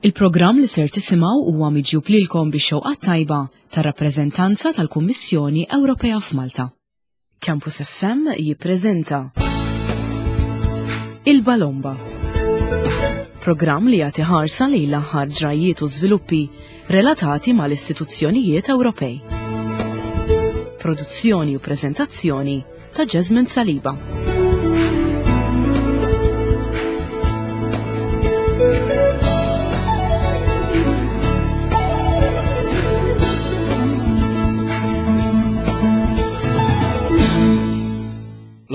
Il-programm li ser tisimgħu huwa miġjub lilkom bix-xewqa tajba tar-rappreżentanza tal-Kummissjoni Ewropea f'Malta. Campus FM jippreżenta Il-Balomba. Programm li jagħti ħarsa lejn l-aħħar ġrajjiet u żviluppi relatati mal-istituzzjonijiet Ewropej. Produzzjoni u preżentazzjoni ta' Jasmine Saliba.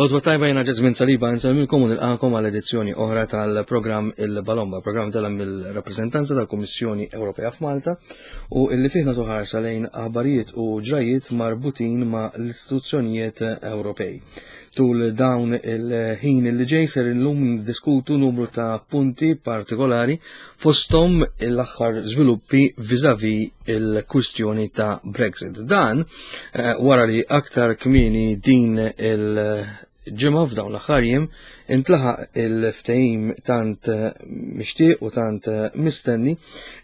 L-odwa tajba jena Ġazmin Saliba nsemmilkom u nilqakom għal edizzjoni oħra tal-programm Il-Balomba, programm tal mill-rappreżentanza tal-Kummissjoni Ewropea f'Malta u illi fih nagħtu ħarsa lejn aħbarijiet u ġrajiet marbutin ma' l-istituzzjonijiet Ewropej. Tul dawn il-ħin li ġej ser illum diskutu numru ta' punti partikolari fosthom l-aħħar żviluppi viżavi il-kwistjoni ta' Brexit. Dan eh, wara li aktar kmieni din il- ġimgħa f'dawn l-aħħar jiem intlaħaq il-ftehim tant eh, mixtieq u tant eh, mistenni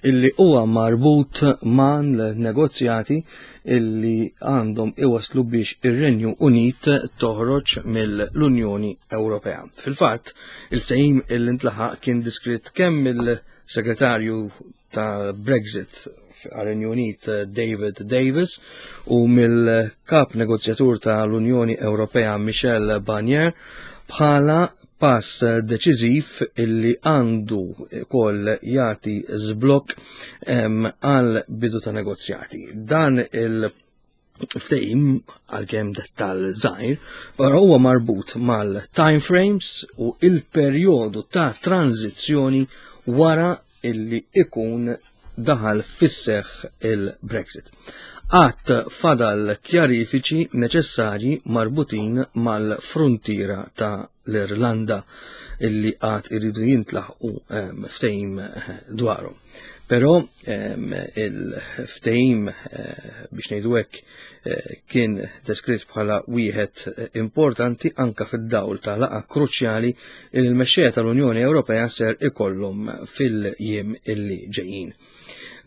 illi huwa marbut ma' negozjati illi għandhom iwaslu biex ir-Renju Unit toħroġ mill-Unjoni Ewropea. Fil-fatt, il-ftehim illi ntlaħaq kien diskrit kemm il-Segretarju ta' Brexit għar-Renju Unit David Davis u mill-kap negozjatur tal-Unjoni Ewropea Michel Barnier bħala pass deċiżiv illi għandu kol jagħti żblokk għal bidu ta' negozjati. Dan il- ftehim għalkemm dettall żgħir, però huwa marbut mal-time frames u il-perjodu ta' tranzizzjoni wara illi ikun daħal fis-seħħ il-Brexit. Għat fadal kjarifiċi neċessarji marbutin mal-frontiera ta' l-Irlanda illi għad iridu jintlaħqu ehm, ftehim eh, dwarhom. Però ehm, il-ftehim eh, biex ngħidu hekk eh, kien deskritt bħala wieħed importanti anka fid-dawl ta' laqa kruċjali li l-mexxejja tal-Unjoni Ewropea ser ikollhom fil-jiem illi ġejjin.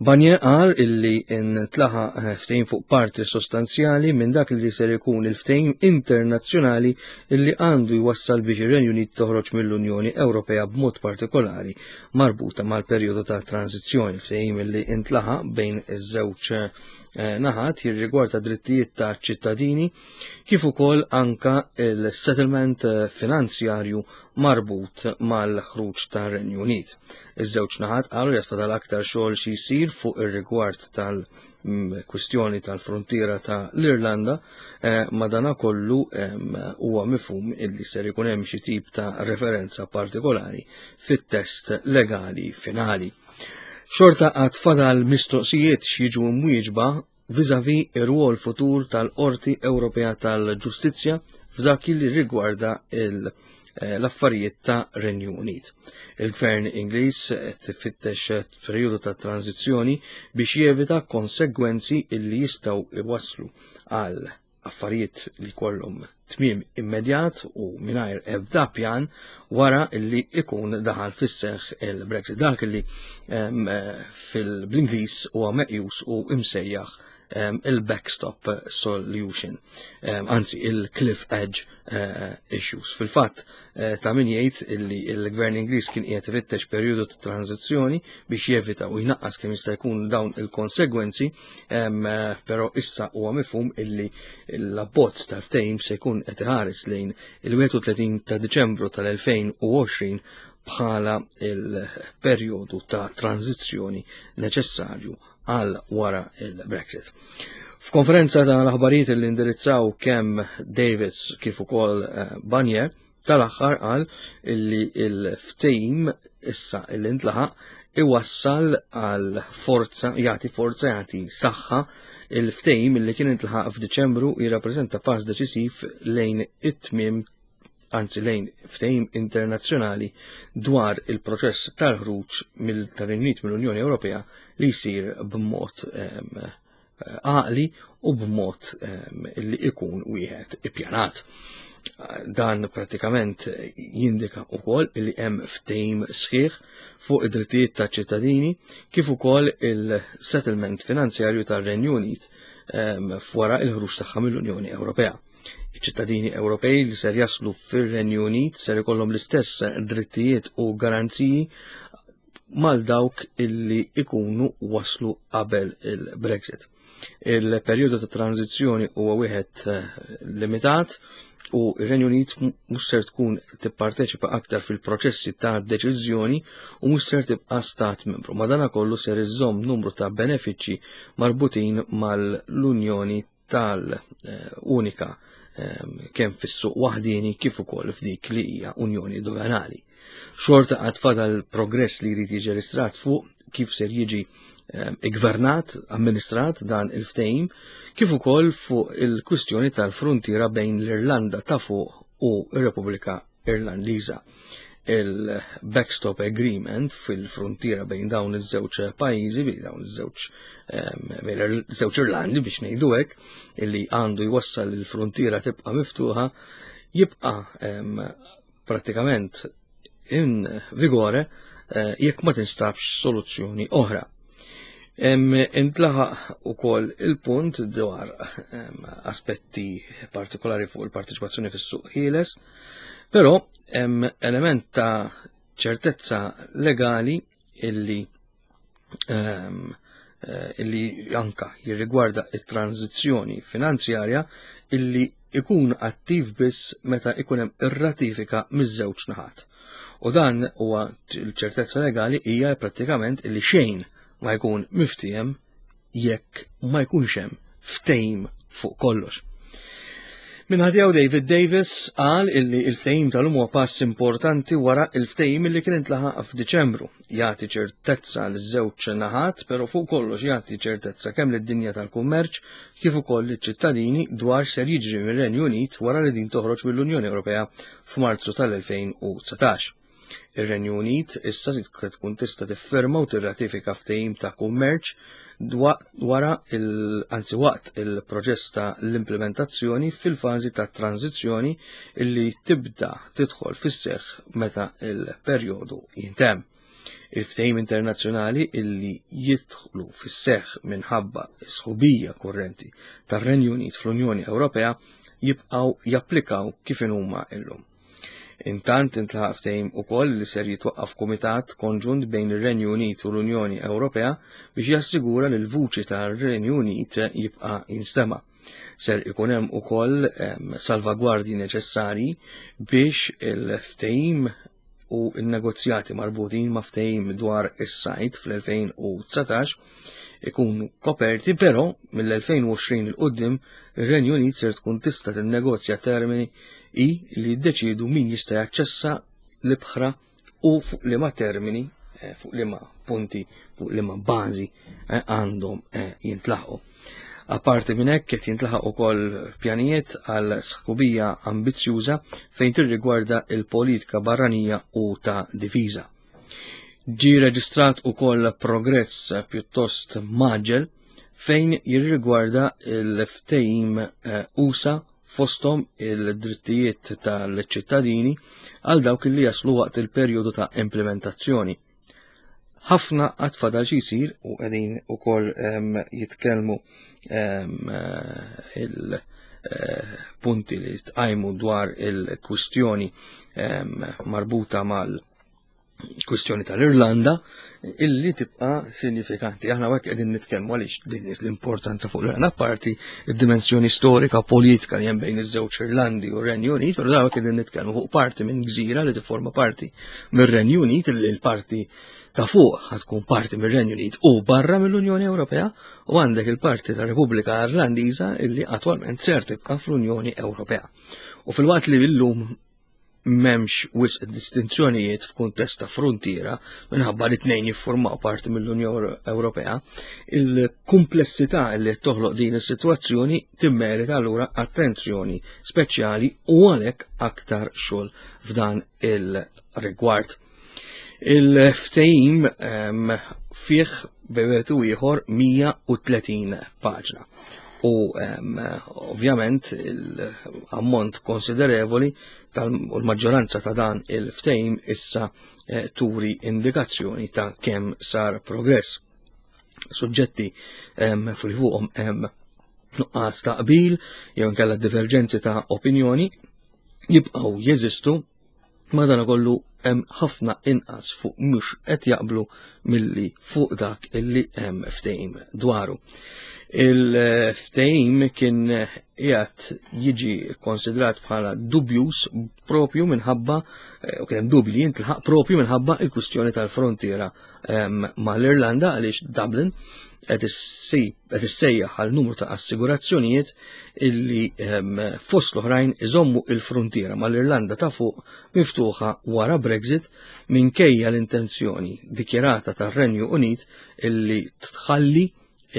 Barnier qal illi ntlaħaq eh, ftehim fuq parti sostanzjali minn dak li ser ikun il-ftehim internazzjonali illi għandu jwassal biex ir-Renju Unit toħroġ mill-Unjoni Ewropea b'mod partikolari marbuta mal-perjodu ta' tranzizzjoni ftehim illi intlaħaq bejn iż-żewġ eh, naħat jirrigwarda drittijiet ta' ċittadini kif ukoll anka il-settlement eh, finanzjarju marbut mal-ħruġ tar-Renju Unit. Iż-żewġ naħat qalu li fadal aktar xogħol xi jsir fuq ir-rigward tal-kwistjoni tal-frontiera ta' l-Irlanda, eh, madanakollu huwa mifhum illi ser ikun hemm xi tip ta' referenza partikolari fit-test legali finali. Xorta għad fadal mistoqsijiet x'jiġu mwieġba vis-à-vis ir-rwol futur tal-Qorti Ewropea tal-Ġustizzja f'dak li rigwarda eh, l-affarijiet ta' Renju Unit. Il-Gvern Ingliż qed ifittex perjodu ta' tranzizzjoni biex jevita konsegwenzi illi jistgħu iwasslu għal affarijiet li kollhom tmiem immedjat u mingħajr ebda pjan wara li ikun daħal fis-seħħ il-Brexit. Dak li fil-Ingliż huwa meqjus u imsejjaħ il-backstop solution, anzi il-cliff edge eh, issues. Fil-fatt, eh, ta' min jgħid illi il-gvern Ingliż kien qiegħed ifittex perjodu ta' tranzizzjoni biex jevita u jnaqqas kemm jista' jkun dawn il-konsegwenzi, eh, però issa huwa mifhum illi l-abbozz tal-ftehim se jkun qed iħares lejn il-31 ta' Diċembru tal-2020 bħala il-perjodu ta' tranzizzjoni neċessarju għal wara il-Brexit. F'konferenza ta' l-aħbarijiet li indirizzaw kemm Davids kif ukoll eh, Barnier, tal-aħħar qal illi il-ftehim issa illi ntlaħaq iwassal għal forza, jagħti forza, jagħti saħħa il-ftehim illi kien intlaħaq f'Diċembru jirrappreżenta pass deċisiv lejn it-tmiem anzi lejn ftehim internazzjonali dwar il-proċess tal-ħruġ mill-Unit mill-Unjoni Ewropea li jsir b'mod ehm, għaqli u b'mod ehm, li ikun wieħed ippjanat. Dan pratikament jindika wkoll li hemm ftehim sħiħ fuq id-drittijiet ta' ċittadini kif ukoll il-settlement finanzjarju tar-Renju Unit f'wara il-ħruġ tagħha mill-Unjoni Ewropea. Iċ-ċittadini Ewropej li ser jaslu fir-Renju Unit ser ikollhom l-istess drittijiet u garanziji mal dawk illi ikunu waslu qabel il-Brexit. Il-perjodu ta' tranzizzjoni huwa wieħed eh, limitat u r-Renju Unit mhux ser tkun tipparteċipa aktar fil-proċessi ta' deċiżjoni u mhux ser tibqa' stat membru. Madanakollu ser iżżomm numru ta' benefiċċji marbutin mal-Unjoni tal-unika ehm, kemm fis-suq waħdieni kif ukoll f'dik li hija Unjoni Doganali. Xorta għad fadal progress li jrid jiġi registrat fuq kif ser jiġi ehm, igvernat, amministrat dan il-ftehim, kif ukoll fuq il-kwistjoni tal-frontiera bejn l-Irlanda ta' fuq u r-Repubblika Irlandiża. Il-backstop agreement fil-frontiera bejn dawn iż-żewġ pajjiżi, bejn dawn iż-żewġ ehm, bejn iż-żewġ Irlandi biex ngħidu hekk, illi għandu jwassal il-frontiera tibqa' miftuħa, jibqa' ehm, pratikament in vigore eh, jekk ma tinstabx soluzzjoni oħra. Intlaħaq ukoll il-punt dwar aspetti partikolari fuq il-partiċipazzjoni fis-suq ħieles, però hemm element ta' ċertezza legali illi eh, illi anka jirrigwarda it-tranzizzjoni finanzjarja illi ikun attiv biss meta ikun hemm ir-ratifika miż-żewġ naħat. U dan huwa l-ċertezza legali hija prattikament illi xejn ma jkun miftiehem jekk ma jkunx hemm ftehim fuq kollox. Minħatijaw David Davis qal illi il-ftehim tal-lum huwa pass importanti wara il-ftehim illi kien intlaħaq f'Diċembru. Jagħti ċertezza l żewġ naħat, però fuq kollox jagħti ċertezza kemm lid-dinja tal-kummerċ kif ukoll liċ-ċittadini dwar ser jiġri mir-Renju Unit wara li din toħroġ mill-Unjoni Ewropea f'Marzu tal-2019. Ir-Renju Unit issa tkun tista' tiffirma u tirratifika ftehim ta' kummerċ wara il anzi waqt il-proċess ta' l-implementazzjoni fil-fażi ta' tranzizzjoni illi tibda tidħol fis-seħħ meta il-perjodu jintemm. Il-ftehim internazzjonali illi jidħlu fis-seħħ minħabba s-sħubija kurrenti tar-Renju Unit fl-Unjoni Ewropea jibqgħu japplikaw kif inhuma illum. Intant intlaħaq ftehim ukoll li ser jitwaqqaf kumitat konġunt bejn ir-Renju Unit u l-Unjoni Ewropea biex jassigura li l-vuċi tar-Renju Unit jibqa' jinstema'. Ser ikun hemm ukoll salvagwardji neċessarji biex il-ftehim u n-negozjati marbutin ma' ftehim dwar is-sajt fl-2019 ikunu koperti, però mill-2020 il qudiem ir-Renju Unit ser tkun tista' tinnegozja termini hi li jiddeċiedu min jista' jaċċessa l-ibħra u fuq liema termini, eh, fuq liema punti, fuq liema bażi eh, għandhom eh, jintlaħqu. Apparti minn hekk qed jintlaħaq ukoll pjanijiet għal sħubija ambizzjuża fejn tirrigwarda il-politika barranija u ta' difiża. Ġi reġistrat ukoll progress pjuttost maġel fejn jirrigwarda il-ftehim USA fosthom il-drittijiet tal-ċittadini għal dawk li jaslu waqt il-perjodu ta' implementazzjoni. Ħafna għad fadal xi jsir u qegħdin ukoll jitkellmu il-punti li tqajmu dwar il-kwistjoni marbuta mal- kwistjoni tal-Irlanda illi tibqa sinifikanti. Aħna għek qegħdin nitkellmu għaliex din l-importanza fuq l-Irlanda parti id-dimensjoni storika politika li hemm bejn iż-żewġ Irlandi u r-Renju Unit, però dawk qegħdin nitkellmu fuq parti minn gżira li tifforma parti mir-Renju Unit illi l-parti ta' fuq tkun parti mir-Renju Unit u barra mill-Unjoni Ewropea u għandek il-parti ta' Repubblika Irlandiża illi attwalment ser tibqa' fl-Unjoni Ewropea. U fil-waqt li llum m'hemmx wisq distinzjonijiet f'kuntest ta' fruntiera minħabba li tnejn jiffurmaw parti mill-Unjoni Ewropea, il-kumplessità li toħloq din is-sitwazzjoni timmerita allura attenzjoni speċjali u għalhekk aktar xogħol f'dan il-rigward. Il-ftehim ehm, fih bejwet u ieħor 130 paġna. U ovvjament l-ammont konsiderevoli u l-maġġoranza ta' dan il-ftehim issa eh, turi indikazzjoni ta' kemm sar progress. Suġġetti fuq fuqhom hemm nuqqas ta' qbil jew inkella diverġenzi ta' opinjoni jibqgħu jeżistu Madanakollu hemm ħafna inqas fuq mhux qed jaqblu milli fuq dak illi hemm ftehim dwaru. Il-ftehim kien qiegħed jiġi konsidrat bħala dubjus propju minħabba eh, u kien hemm dubji jintlaħaq propju minħabba il-kwistjoni tal-frontiera ehm, mal-Irlanda għaliex Dublin qed issejjaħ għal numru ta' assigurazzjonijiet illi ehm, fost l-oħrajn iżommu il-frontiera mal-Irlanda ta' fuq miftuħa wara Brexit minkejja l-intenzjoni dikjarata tar-Renju Unit illi tħalli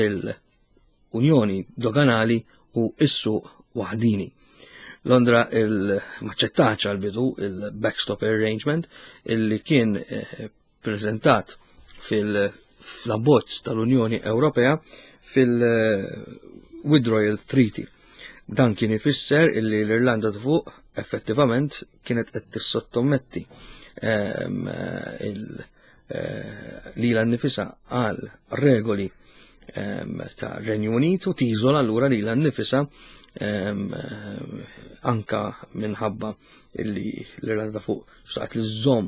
il-Unjoni Doganali u s-suq waħdini. Londra il-maċċettaċ għal-bidu il-backstop arrangement illi kien eh, preżentat fil-abbozz tal-Unjoni Ewropea fil-Withdrawal Treaty. Dan kien ifisser illi l-Irlanda ta' fuq effettivament kienet qed tissottometti ehm, eh, lilha nnifisha għal regoli ehm, ta' Renju Unit u tiżola allura lilha nnifisha ehm, anka minħabba illi l-Irlanda ta' fuq xtaqt li żżomm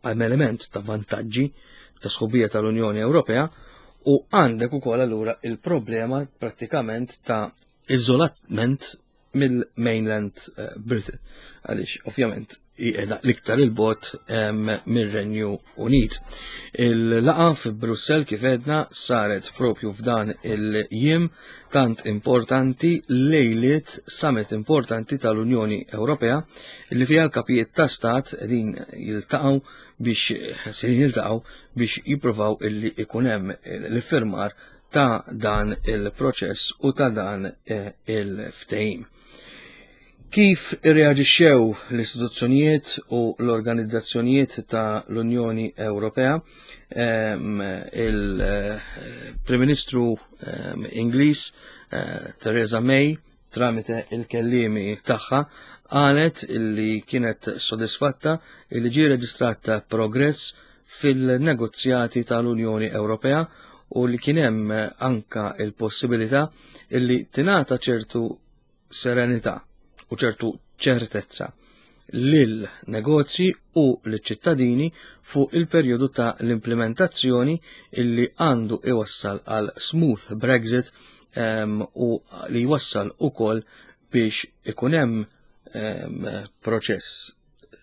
hemm element ta' vantaġġi ta' sħubija tal-Unjoni Ewropea u għandek ukoll allura il-problema prattikament ta' iżolament mill-mainland eh, Britain għaliex ovvjament qiegħda l-iktar il-bot mir-Renju Unit. Il-laqa fi Brussell kif edna saret propju f'dan il-jiem tant importanti lejliet summit importanti tal-Unjoni Ewropea li fiha l-kapijiet ta' stat qegħdin jiltaqgħu biex serin jiltaqgħu biex jippruvaw illi ikun hemm l-iffirmar ta' dan il-proċess u ta' dan eh, il-ftehim. Kif irreaġixxew l-istituzzjonijiet u l-organizzazzjonijiet ta' l-Unjoni Ewropea? Il-Prim Ministru Ingliż eh, Theresa May tramite il-kellimi tagħha qalet illi kienet sodisfatta illi ġie reġistrat progress fil-negozjati tal-Unjoni Ewropea u li kien hemm anka il-possibilità illi tingħata ċertu serenità u ċertu ċertezza lil negozji u liċ-ċittadini fuq il-perjodu ta' l-implementazzjoni illi għandu iwassal għal smooth Brexit um, u li jwassal ukoll biex ikun hemm um, proċess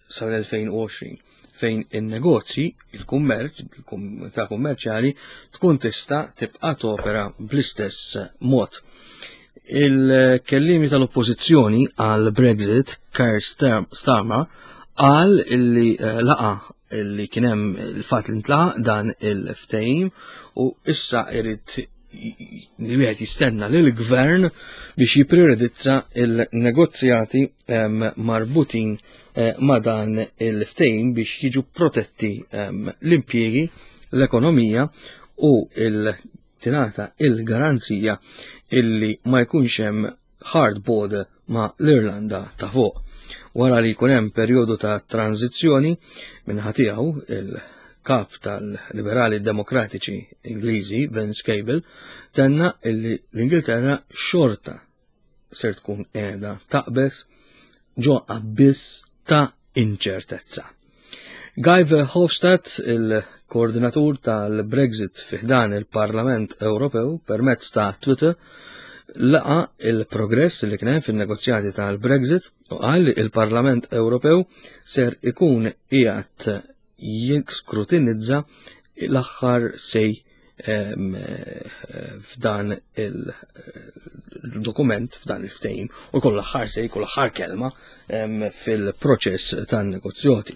sal-2020 fejn in-negozji, il-kummerċ, il-komunità kummerċjali tkun tista' tibqa' topera bl-istess mod. Il-kellimi tal-oppożizzjoni għal Brexit, Keir Starmer, qal illi eh, laqa illi kien hemm il-fatt li ntlaqa dan il-ftehim u issa irid li wieħed jistenna lil gvern biex jipprioritizza il-negozjati marbutin eh, ma' dan il-ftehim biex jiġu protetti l-impjiegi, l-ekonomija u il-tingħata il-garanzija illi ma jkunx hemm hard border ma' l-Irlanda ta' fuq. Wara li jkun hemm perjodu ta' tranzizzjoni minn tiegħu il-kap tal-Liberali Demokratiċi Ingliżi Vince Cable tenna illi l-Ingilterra xorta ser tkun qiegħda taqbeż ġo abbiss ta' inċertezza. Guy Verhofstadt, il-koordinatur tal-Brexit fiħdan il-Parlament Ewropew permezz ta' Twitter, laqa il-progress li kien hemm fin-negozjati tal-Brexit u qal li il-Parlament Ewropew ser ikun qiegħed jiskrutinizza l-aħħar sej f'dan il-dokument, f'dan il-ftehim, u kull aħħar sej, kull aħħar kelma fil-proċess tan-negozjati.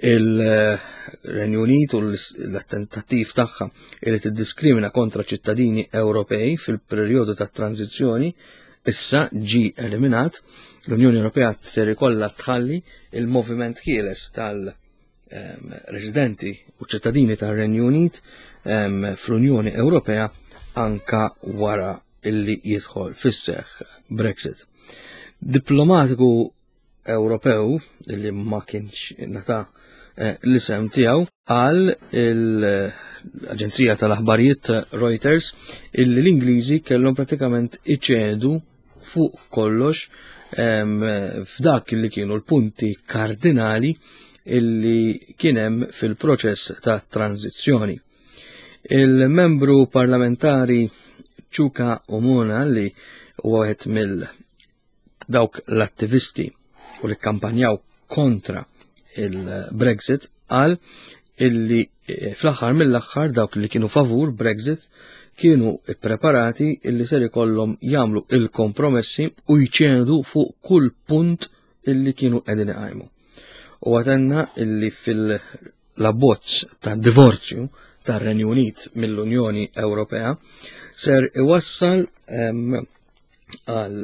Il-Renju Unit u l-attentattiv tagħha li tiddiskrimina kontra ċittadini Ewropej fil-perjodu ta' tranzizzjoni issa ġi eliminat. L-Unjoni Ewropea ser ikollha tħalli il-moviment ħieles tal- residenti u ċittadini tar-Renju Unit fl-Unjoni Ewropea anka wara illi jidħol fis-seħħ Brexit. Diplomatiku Ewropew illi ma kienx nata eh, l-isem tiegħu qal l-Aġenzija tal-Aħbarijiet Reuters illi l-Ingliżi kellhom pratikament iċedu fuq kollox f'dak li kienu l-punti kardinali illi kienem fil-proċess ta' tranzizzjoni. Il-membru parlamentari Chuka Omona li huwa wieħed mill dawk l-attivisti u li kampanjaw kontra il-Brexit qal illi eh, fl-aħħar mill-aħħar dawk li kienu favur Brexit kienu ippreparati illi ser ikollhom jagħmlu il-kompromessi u jċedu fuq kull punt illi kienu qegħdin iqajmu. U għatenna illi fil-abbozz ta' divorzju tar-Renju Unit mill-Unjoni Ewropea ser iwassal għal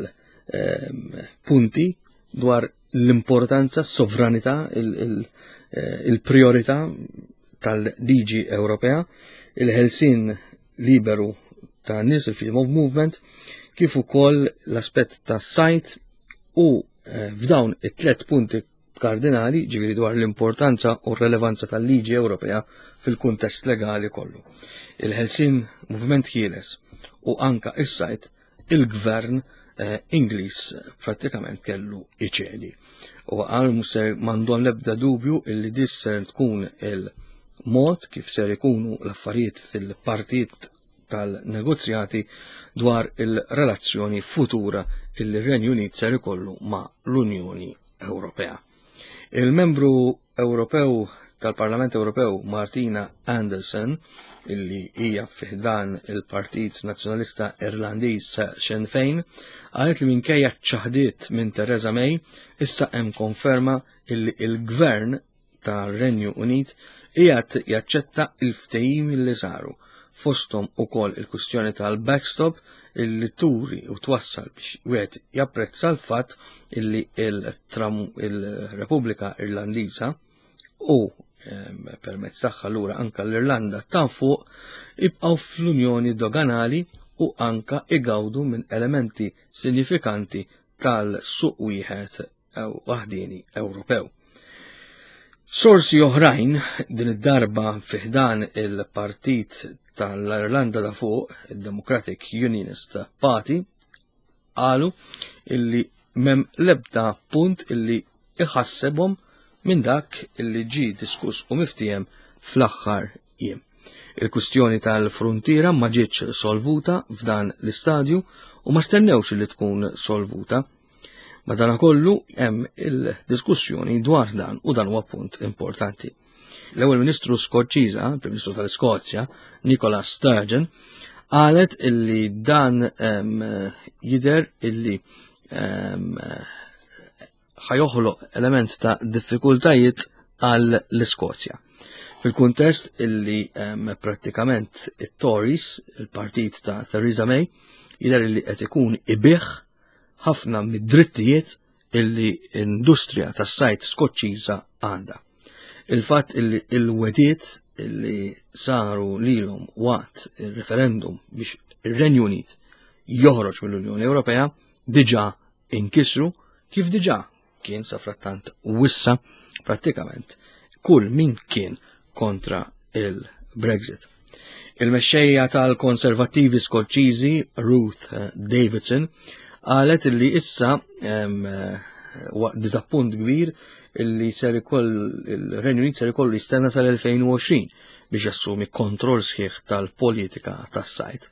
punti dwar l-importanza, s-sovranità, eh, il-priorità tal-liġi Ewropea, il-ħelsin liberu ta' nies il-freedom of movement, kif ukoll l-aspett ta' sajt u eh, f'dawn it-tlet punti kardinali, ġifieri dwar l-importanza u r-relevanza tal-liġi Ewropea fil-kuntest legali kollu. Il-ħelsin moviment ħieles u anka is-sajt il-gvern eh, Ingliż prattikament kellu iċedi. U għal muser mandon lebda dubju illi disser tkun il-mod kif ser ikunu l-affarijiet fil-partijiet tal-negozjati dwar il-relazzjoni futura illi r-Renju Unit ser ikollu ma' l-Unjoni Ewropea. Il-membru Ewropew tal-Parlament Ewropew Martina Anderson illi hija fiħdan il-Partit Nazzjonalista Irlandiż Sinn Féin qalet li minkejja ċaħdiet minn Theresa May issa hemm konferma illi il-Gvern tar-Renju Unit qiegħed jaċċetta il-ftehim li saru fosthom ukoll il-kwistjoni tal-backstop illi turi u twassal biex wieħed japprezza l-fatt illi il-Repubblika Irlandiża u permezz tagħha lura anka l-Irlanda ta' fuq ibqgħu fl-Unjoni Doganali u anka igawdu minn elementi sinifikanti tal-suq wieħed waħdieni Ewropew. Sorsi oħrajn din id-darba fiħdan il-partit tal-Irlanda ta' fuq, il-Democratic Unionist Party, qalu illi mem lebda punt illi iħassebhom minn dak illi ġi diskuss u miftijem fl-aħħar jiem. Il-kwistjoni tal-fruntiera ma ġietx solvuta f'dan l-istadju u ma stennewx li tkun solvuta. Madanakollu hemm il-diskussjoni dwar dan u dan huwa punt importanti. L-ewwel Ministru Skoċċiża, il-Prim Ministru tal-Iskozja, Nicola Sturgeon, qalet illi dan jidher illi ħajoħloq element ta' diffikultajiet għal l-Iskozja. Fil-kuntest illi prattikament it-Tories, il-partit ta' Theresa May, jidher illi qed ikun ibih ħafna mid-drittijiet illi industrija tas-sajt Skoċċiża għandha. Il-fatt illi il-wediet illi saru lilhom waqt il-referendum biex ir-Renju Unit joħroġ mill-Unjoni Ewropea diġà inkisru kif diġà kien sa frattant wissa prattikament kull min kien kontra il-Brexit. Il-mexxejja tal-Konservattivi Skoċċiżi Ruth eh, Davidson qalet li issa eh, diżappunt kbir illi ser ikoll il-Renju Unit ser ikollu jistenna sal-2020 biex jassumi kontroll sħiħ tal-politika tas-sajt.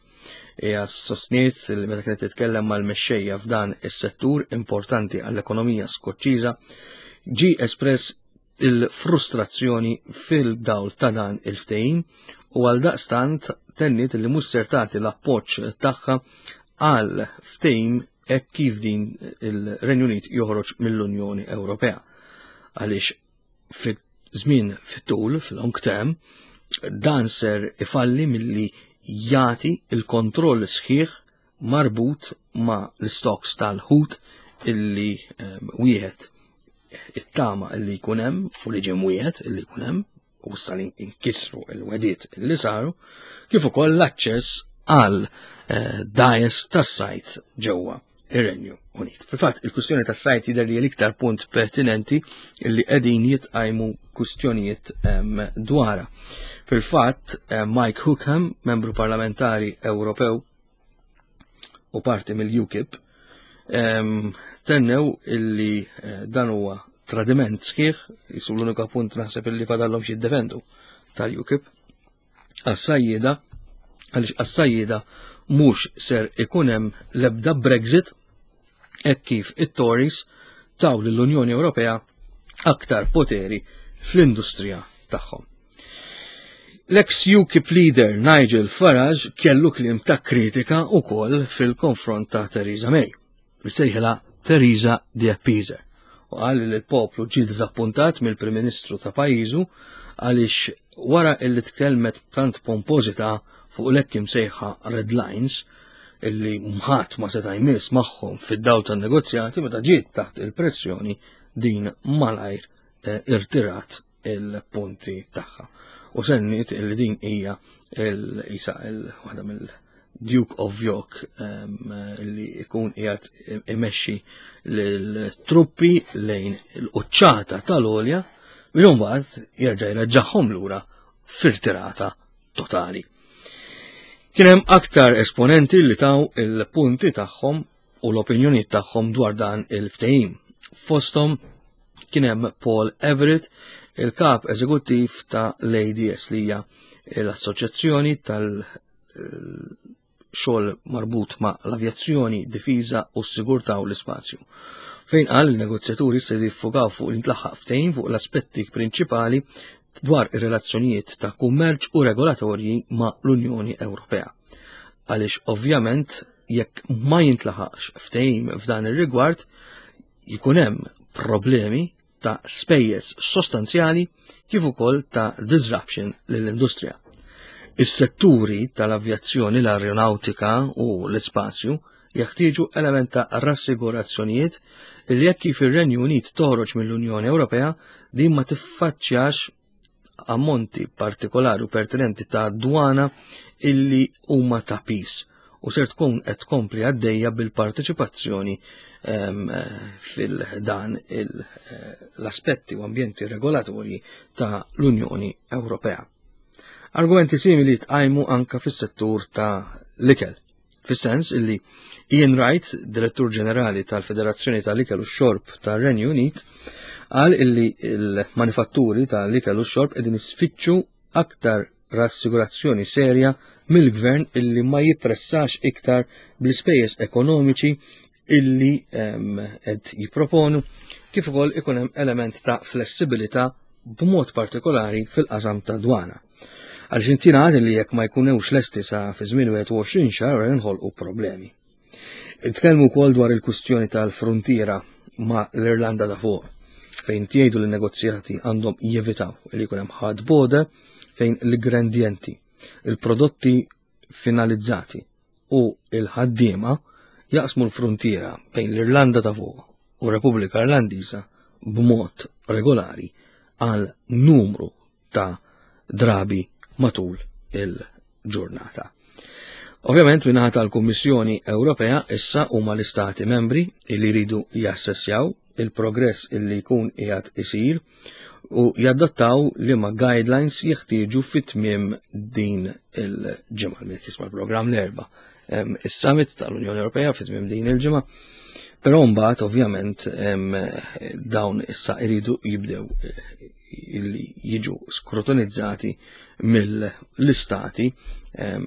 Hija sostniet li meta kienet titkellem mal-mexxejja f'dan is-settur importanti għall-ekonomija Skoċċiża ġi espress il-frustrazzjoni fil-dawl ta' dan il-ftehim u għal daqstant tenniet li mhux ser tagħti l-appoġġ tagħha għal ftehim hekk kif din il-Renju Unit joħroġ mill-Unjoni Ewropea. Għaliex fit-żmien fit-tul, fil-long term, dan ser ifalli milli jagħti il-kontroll sħiħ marbut ma' l-stocks tal-ħut illi ehm, wieħed it-tama illi jkun hemm u li ġim wieħed illi jkun hemm u issa li nkisru il-wediet li saru, kif ukoll l-aċċess għal eh, dajes tas-sajt ġewwa ir-Renju Unit. Fil-fatt, il-kwistjoni tas-sajt jidher li l-iktar punt pertinenti li qegħdin jitqajmu kwistjonijiet dwarha. Fil-fatt, eh, Mike Hookham, membru parlamentari Ewropew u parti mill-UKIP, tennew illi eh, dan huwa tradiment sħiħ, jisu l-unika punt naħseb illi fadallhom xi jiddefendu tal-UKIP, għas-sajjieda, għaliex għas-sajjieda mhux ser ikun hemm l-ebda Brexit hekk kif it-Tories taw lill-Unjoni Ewropea aktar poteri fl-industrija tagħhom. L-ex UKIP leader Nigel Farage kellu kliem ta' kritika wkoll fil-konfront ta' Theresa May. Sejħilha Theresa the Appeaser u qal li l-poplu ġie diżappuntat mill-Prim Ministru ta' pajjiżu għaliex wara illi tkellmet tant pompożità fuq l-hekk imsejħa red lines illi mħat ma seta' jmiss magħhom fid-dawl tan-negozjati meta ġiet taħt il-pressjoni din malajr eh, irtirat il-punti tagħha. U sennit illi din hija il-isa il-waħda mill-Duke of York li jkun qiegħed imexxi l-truppi lejn il-quċċata tal-olja minn mbagħad jerġa' jreġġagħhom lura firtirata totali. Kien hemm aktar esponenti li taw il-punti tagħhom u l-opinjonijiet tagħhom dwar dan il-ftehim. Fosthom kien hemm Paul Everett, il-kap eżekuttiv ta' l-ADS li hija l-Assoċjazzjoni tal- xogħol marbut ma' l-avjazzjoni, difiża u s-sigurtà u l-ispazju. Fejn qal il-negozjaturi se jiffukaw fuq l-intlaħaq ftehim fuq l-aspetti prinċipali dwar ir-relazzjonijiet ta' kummerċ u regolatorji ma' l-Unjoni Ewropea. Għaliex ovvjament jekk ma jintlaħaqx ftehim f'dan ir-rigward jkun hemm problemi ta' spejjeż sostanzjali kif ukoll ta' disruption lill-industrija. Is-setturi tal-avjazzjoni, l-aeronautika u l-ispazju jeħtieġu element ta' rassigurazzjonijiet li jekk kif ir-Renju Unit toħroġ mill-Unjoni Ewropea din ma tiffaċċjax ammonti partikolari u pertinenti ta' dwana illi huma ta' pis u ser tkun qed tkompli għaddejja bil-parteċipazzjoni fil-dan eh, l-aspetti u ambjenti regolatorji ta' l-Unjoni Ewropea. Argumenti simili tqajmu anka fis-settur ta' l-ikel. Fis-sens illi Ian Wright, Direttur Ġenerali tal-Federazzjoni tal-Ikel u Xorb tar-Renju Unit, qal illi l-manifatturi tal-ikel u xorb qegħdin isfittxu aktar rassigurazzjoni serja mill-gvern illi ma jippressax iktar bl-ispejjeż ekonomiċi illi qed jipproponu kif ukoll ikun hemm element ta' flessibilità b'mod partikolari fil-qasam ta' dwana. Arġentina għad li jekk ma jkunewx lesti sa fi żmien 21 xahar jinħolqu problemi. Itkellmu wkoll dwar il-kwistjoni tal-fruntiera ma' l-Irlanda ta' fuq fejn tgħidu li negozjati għandhom jevitaw li jkun hemm ħadd bode fejn l-ingredienti, il-prodotti finalizzati u l-ħaddiema jaqsmu l-fruntiera bejn l-Irlanda ta' fuq u Repubblika Irlandiża b'mod regolari għal numru ta' drabi matul il-ġurnata. Ovvjament minnaħa tal-Kummissjoni Ewropea issa huma l-Istati membri li jridu jassessjaw il-progress illi jkun qiegħed isir u jadattaw li ma guidelines jeħtieġu fit-tmiem din il-ġimgħa. Min jisma' l-programm l-erba' is-summit tal-Unjoni Ewropea fit-tmiem din il-ġimgħa. Però mbagħad ovvjament dawn issa jridu jibdew illi jiġu skrutinizzati mill-istati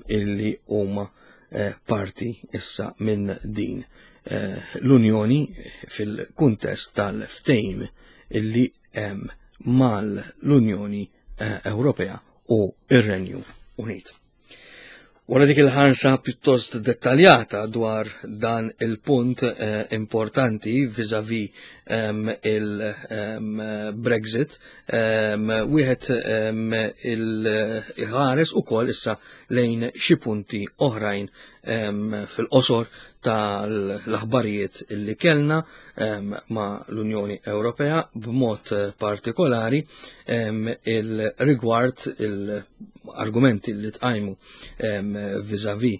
illi huma eh, parti issa minn din eh, l-Unjoni fil-kuntest tal-ftejm illi hemm mal-Unjoni eh, Ewropea u ir-Renju Unit. Wara dik il-ħarsa pjuttost dettaljata dwar dan il-punt eh, importanti vis-a-vis il-Brexit, wieħed il-ħares ukoll issa lejn xi punti oħrajn fil-qosor tal-aħbarijiet li kellna ma' l-Unjoni Ewropea b'mod partikolari il-rigward il argumenti li tqajmu vizavi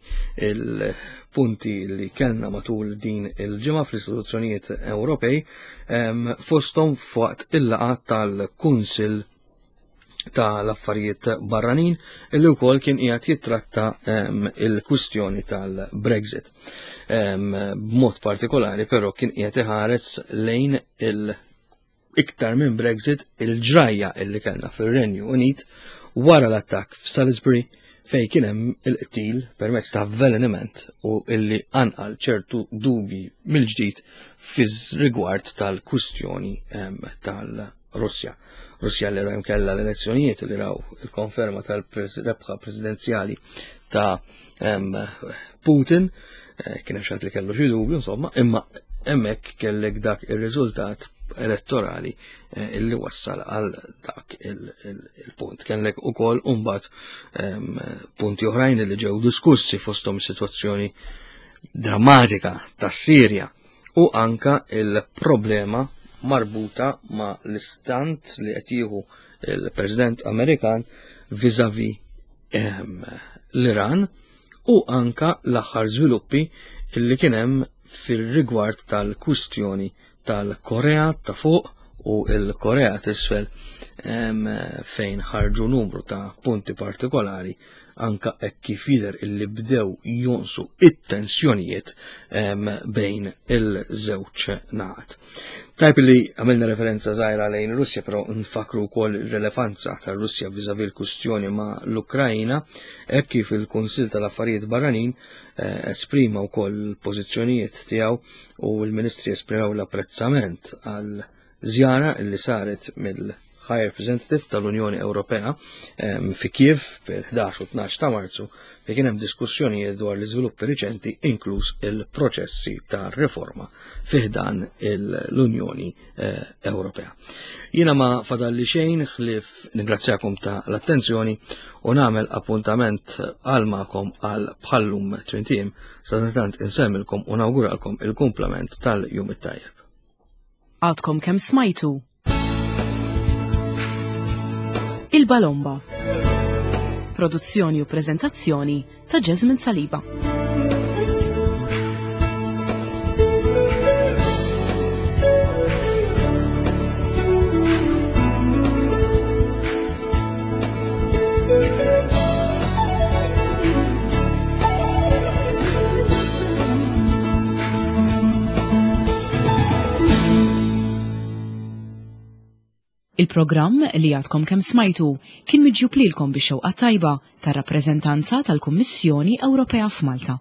il-punti li kellna matul din il-ġimgħa fl-istituzzjonijiet Ewropej fosthom fuq il-laqgħa tal-Kunsill tal-affarijiet barranin illi wkoll kien qiegħed jittratta il-kwistjoni tal-Brexit. B'mod partikolari però kien qiegħed iħares lejn il- iktar minn Brexit il-ġrajja illi kellna fir-Renju Unit wara l-attakk f'Salisbury fej kien hemm il-qtil permezz ta' avveleniment u illi anqal ċertu dubji mill-ġdid fiż rigward tal-kwistjoni tal-Russja. Russja li hemm kellha l-elezzjonijiet li raw il-konferma tal-rebħa presidenzjali ta' Putin, eh, kien hemm xi li kellu xi dubju insomma, imma hemmhekk kellek dak ir-riżultat elettorali eh, illi wassal għal dak il-punt. Kellek ukoll imbagħad punti oħrajn li ġew diskussi fosthom is-sitwazzjoni drammatika tas-Sirja u anka il-problema marbuta ma' l-istant li qed jieħu il-President Amerikan vizavi ehm, l-Iran u anka l-aħħar żviluppi li kien hemm fil-rigward tal-kwistjoni tal-Korea ta' fuq u l-Korea t'isfel ehm, fejn ħarġu numru ta' punti partikolari anka hekk kif jidher illi bdew jonqsu it-tensjonijiet bejn il-żewġ naħat. Tajb li għamilna referenza żgħira lejn Russja, però nfakru wkoll ir-relevanza tar-Russja viżavi l-kwistjoni ma' l-Ukrajna, hekk kif il-Kunsill tal-Affarijiet Barranin eh, esprima wkoll il-pożizzjonijiet tiegħu u l-Ministri esprimew l-apprezzament għal żjara li saret mill High Representative tal-Unjoni Ewropea fi Kiev fil-11 u 12 ta' Marzu li kien hemm diskussjonijiet dwar l-iżviluppi riċenti inkluż il-proċessi ta' riforma fiħdan l-Unjoni eh, Ewropea. Jiena ma fadalli xejn ħlief ningrazzjakom ta' l-attenzjoni u nagħmel appuntament għal magħkom għal bħallum trintim sadantant insemmilkom u nawguralkom il-kumplament tal-jum it-tajjeb. Għadkom kemm smajtu Il-Balomba. Produzzjoni u prezentazzjoni ta' Jasmine Saliba. Il-programm li għadkom kemm smajtu kien miġjub lilkom bix-xewqa tajba tar-rappreżentanza tal-Kummissjoni Ewropea f'Malta.